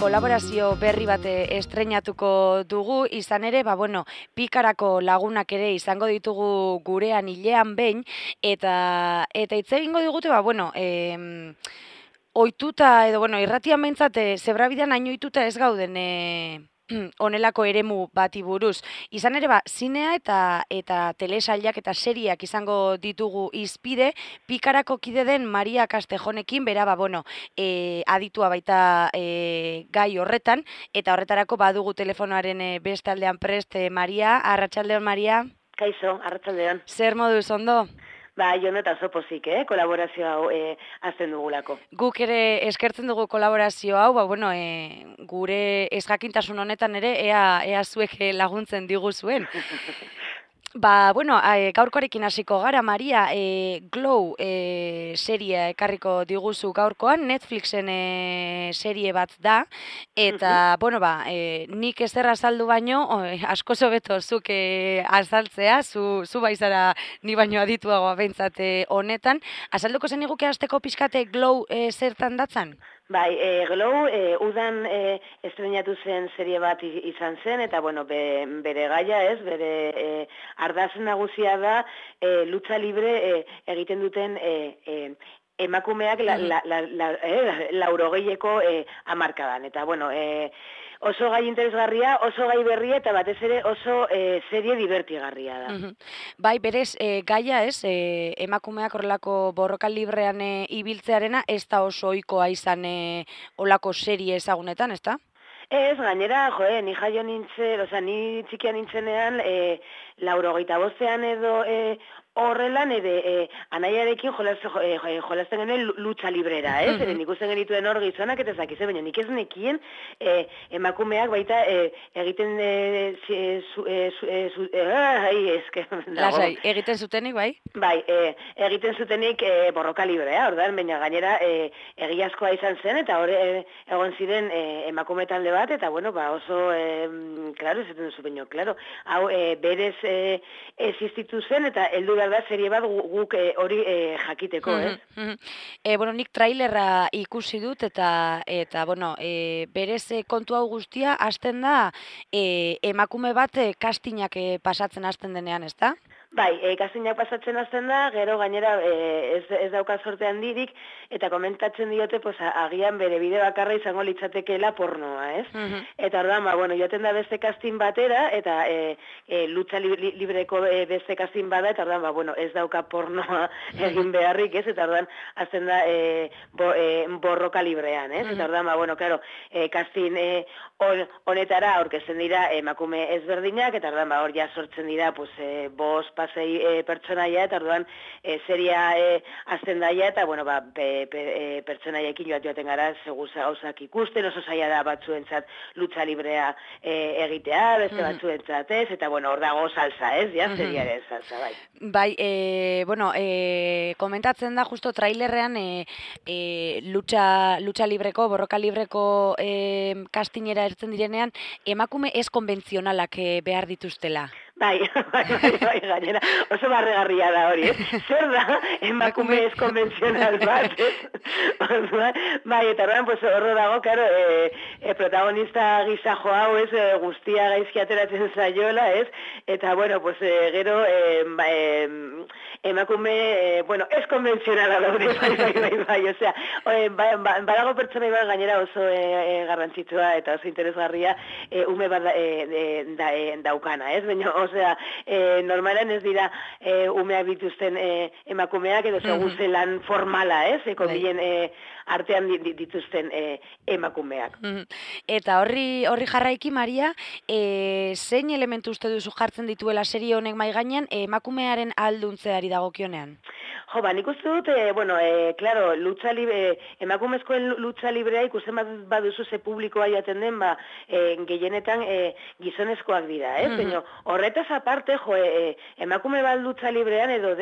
kolaborazio berri bat estreinatuko dugu, izan ere, pikarako lagunak ere izango ditugu gurean hilean behin, eta hitz egingo digute, ohituta edo, irratian behintzat, zebrabidean hain ohituta ez gauden honelako eremu bati buruz. Izan ere, zinea eta telesailak eta seriak izango ditugu izpide, pikarako kide den Maria Castejonekin, bera, aditua baita gai horretan, eta horretarako badugu telefonoaren beste aldean prest, Maria, arratsaldeon, Maria. Kaixo, arratsaldeon. Zer moduz, ondo? Jono eta oso pozik, kolaborazio hau azten dugulako. Guk ere eskertzen dugu kolaborazio hau, gure ezjakintasun honetan ere, ea zuek laguntzen diguzuen. Gaurkoarekin hasiko gara, Maria, Glow serie ekarriko diguzu gaurkoan, Netflixen serie bat da, eta, nik ezer azaldu baino, askoz hobeto zuk azaltzea, zu baizara ni baino adituagoa behintzat honetan. Azalduko zen iguke hasteko pixkate Glow zertan datzan? Glow, udan estreinatu zen serie bat izan zen, eta, bere gaia ez, bere ardaz nagusia da, lucha libre egiten duten emakumeak laurogeieko hamarkadan. Eta, oso gai interesgarria, oso gai berria, eta batez ere oso serie divertigarria da. Berez, gaia ez, emakumeak horrelako borroka librean ibiltzearena, ez da oso ohikoa izan horrelako serie ezagunetan, ez da? Ez, gainera, ni jaio nintzen, ni txikia nintzenean, 85ean edo horrela nire anaiarekin jolasten genuen lucha librera, ez? Nik usten genituen hor gizonak eta zakize, baina nik ez nekien emakumeak baita egiten egiten zutenik, bai? Egiten zutenik borroka librea, ordan, baina gainera egiazkoa izan zen, eta hor egon ziren emakume talde bat, eta oso, klaro, ez zuten zu baino, klaro, hau berez existitu zen, eta heldu da serie bat guk hori jakiteko, ez? Nik trailerra ikusi dut eta berez kontu hau guztia hasten da emakume bat castingak pasatzen hasten denean, ez da? Castingak pasatzen hasten da, gero gainera ez dauka sorte handirik, eta komentatzen diote, agian bere bide bakarra izango litzatekeela pornoa, ez? Eta orduan, joaten da beste casting batera, eta lucha libreko beste casting bada, eta orduan, ez dauka pornoa egin beharrik, ez? Eta orduan, azten da borroka librean, ez? Eta orduan, claro, casting honetara aurkezten dira emakume ezberdinak, eta orduan, hor ja sortzen dira, bost pasei pertsonaia, eta orduan seria azten daia, eta pertsonaiekin joaten gara seguz gauzak ikusten, oso zaila da batzuentzat lucha librea egitea, beste batzuentzat ez, eta hor dago salsa, ez, seriaren salsa, komentatzen da justo trailerrean lucha libreko, borroka libreko castingera ertzen direnean, emakume ez konbentzionalak behar dituztela. Gainera, oso barregarria da hori, zer da emakume ez konbentzional bat, eta horro dago, karo, protagonista gizajo hau, guztia gaizki ateratzen zaiola, eta, gero, emakume, ez konbentzionala daude, osea, badago pertsona iban gainera oso garrantzitsua eta oso interesgarria ume bat daukana, baina, osea, normalan ez dira umeak dituzten emakumeak edo segun zelan formala, ekobilen artean dituzten emakumeak. Eta horri jarraiki, Maria, zein elementu uste duzu jartzen dituela serie honek mai gainean emakumearen alduntzeari dagokionean? Nik uste dut, claro, emakumezkoen lucha librea ikusten baduzu ze publikoa jaten den, gehienetan gizonezkoak dira, baina horretaz aparte, emakume bat lucha librean edo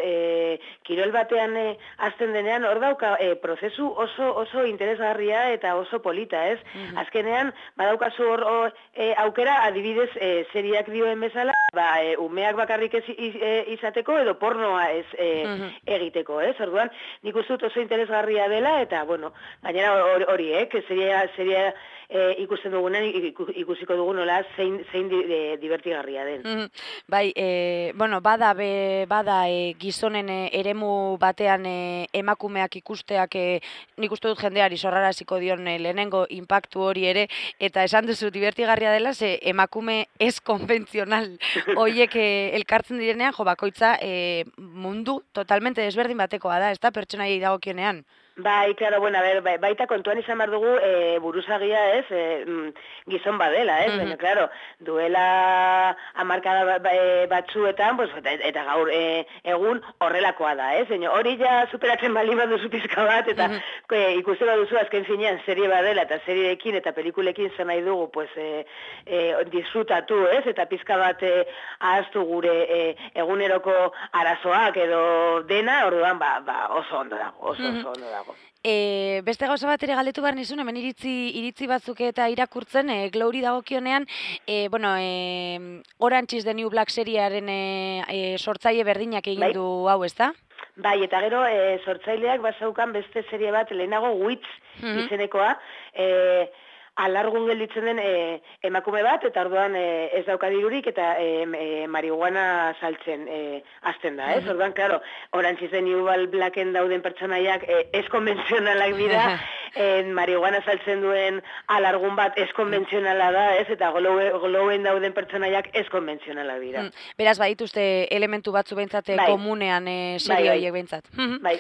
kirol batean azten denean, hor dauka prozesu oso interesgarria eta oso polita, Azkenean, badaukazu hor aukera, adibidez, seriak dioen bezala, umeak bakarrik izateko edo pornoa ez egiteko, Orduan, nik uste dut oso interesgarria dela, eta, gainera hori, seria ikusten dugunen ikusiko dugu nola zein divertigarria den. Bai, bueno, bada gizonen eremu batean emakumeak ikusteak nik uste dut jendeari sorraraziko dion lehenengo inpaktu hori ere, eta esan duzu divertigarria dela, ze emakume ez konbentzional horiek elkartzen direnean, jo, bakoitza mundu totalmente desberdin batekoa da, ez da, pertsonaiei dagokionean. Bai, claro, bueno, a ver, baita kontuan izan behar dugu buruzagia, ez, gizon badela, ez, baina, claro, duela hamarkada batzuetan, pues, eta gaur egun horrelakoa da, ez, hori ja superatzen bali baduzu pizka bat, eta ikusten baduzu azken zinean serie badela, eta serieekin eta pelikulekin zer nahi dugu, pues, disfrutatu, ez, eta pizka bat ahaztu gure eguneroko arazoak edo dena, orduan, oso ondo dago, oso ondo dago. Beste gauza bat ere galdetu behar nizun, hemen iritzi batzuk eta irakurtzen, Glory dagokionean, bueno, Orange is the New Black seriaren sortzaile berdinak egin du hau, ez da? Bai, eta gero sortzaileak bazaukan beste serie bat lehenago Witch izenekoa, alargun gelditzen den emakume bat, eta orduan ez dauka dirurik, eta marihuana saltzen hasten da, ez? Orduan, klaro, Orange is the New Blacken dauden pertsonaiak ez konbentzionalak dira, marihuana saltzen duen alargun bat ez konbentzionala da, ez? Eta glowen dauden pertsonaiak ez konbentzionalak dira. Beraz, badituzte elementu batzu behintzat komunean serie horiek behintzat. Bai.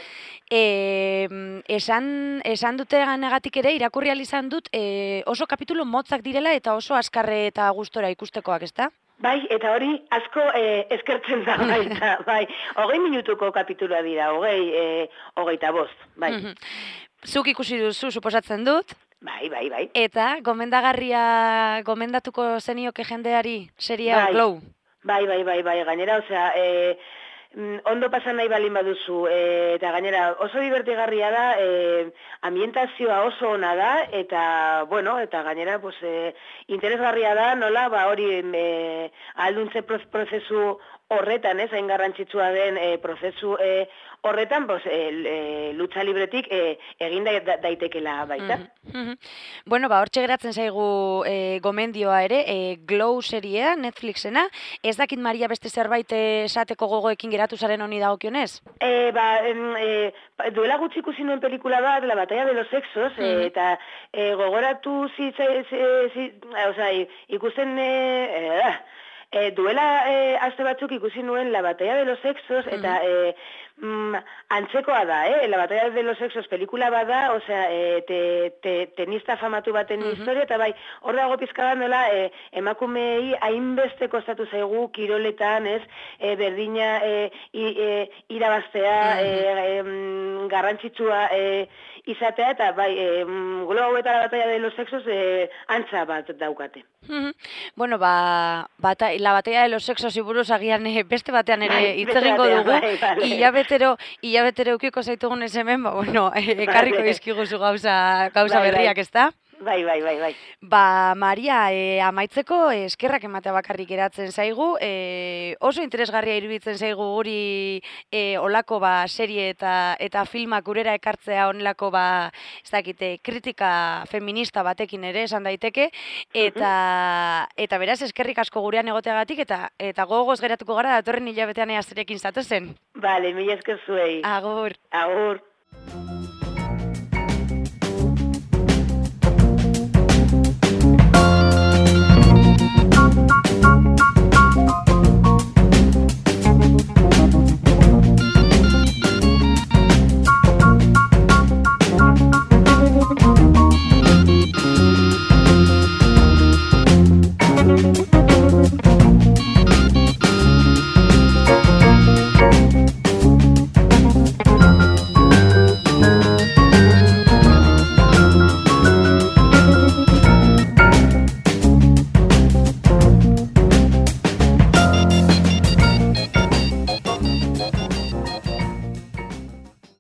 Esan dute ganegatik ere, irakurri izan dut, oso kapitulu motzak direla eta oso azkarre eta gustora ikustekoak, ezta? Bai, eta hori asko eskertzen da baita, bai. 20 minutuko kapitulua dira, 25, bai. Zuk ikusi duzu, suposatzen dut? Bai. Eta gomendatuko zenioke jendeari seria Glow? Bai, gainera, osea, ondo pasan nahi balin baduzu, eta gainera oso divertigarria da, ambientazioa oso ona da, eta, bueno, eta gainera, pues, interesgarria da, nola, hori alduntze prozesu horretan, ez, hain garrantzitsua den prozesu horretan, pues, lucha libretik egin daitekela baita. Bueno, hortxe geratzen zaigu gomendioa ere, Glow seriea, Netflixena, ez dakit Maria beste zerbait esateko gogoekin geratu zaren honi dagokionez? Duela gutxi ikusi nuen pelikula bat, La batalla de los sexos, eta gogoratu ikusten... duela aste batzuk ikusi nuen La batalla de los sexos, eta antzekoa da, La batalla de los sexos pelikula bada, osea, tenista famatu baten historia, eta bai, hor dago pizka bat nola, emakumei hainbeste kostatu zaigu kiroletan, ez, berdina irabaztea, garrantzitsua izatea, eta bai, Glow eta La batalla de los sexos antza bat daukate. Bueno, La batalla de los sexos buruz agian beste batean ere hitz egingo dugu. Hilabetero ukiko zaitugun ez hemen, bueno, ekarriko dizkiguzu gauza berriak, ezta? Bai. Maria, amaitzeko eskerrak ematea bakarrik geratzen zaigu, oso interesgarria iruditzen zaigu guri olako serie eta filmak gurera ekartzea onelako ez dakite, kritika feminista batekin ere esan daiteke, eta beraz eskerrik asko gurean egoteagatik, eta gogoz geratuko gara datorren hilabetean eazerekin zatozen. Bale, mila esker zuei. Agur. Agur.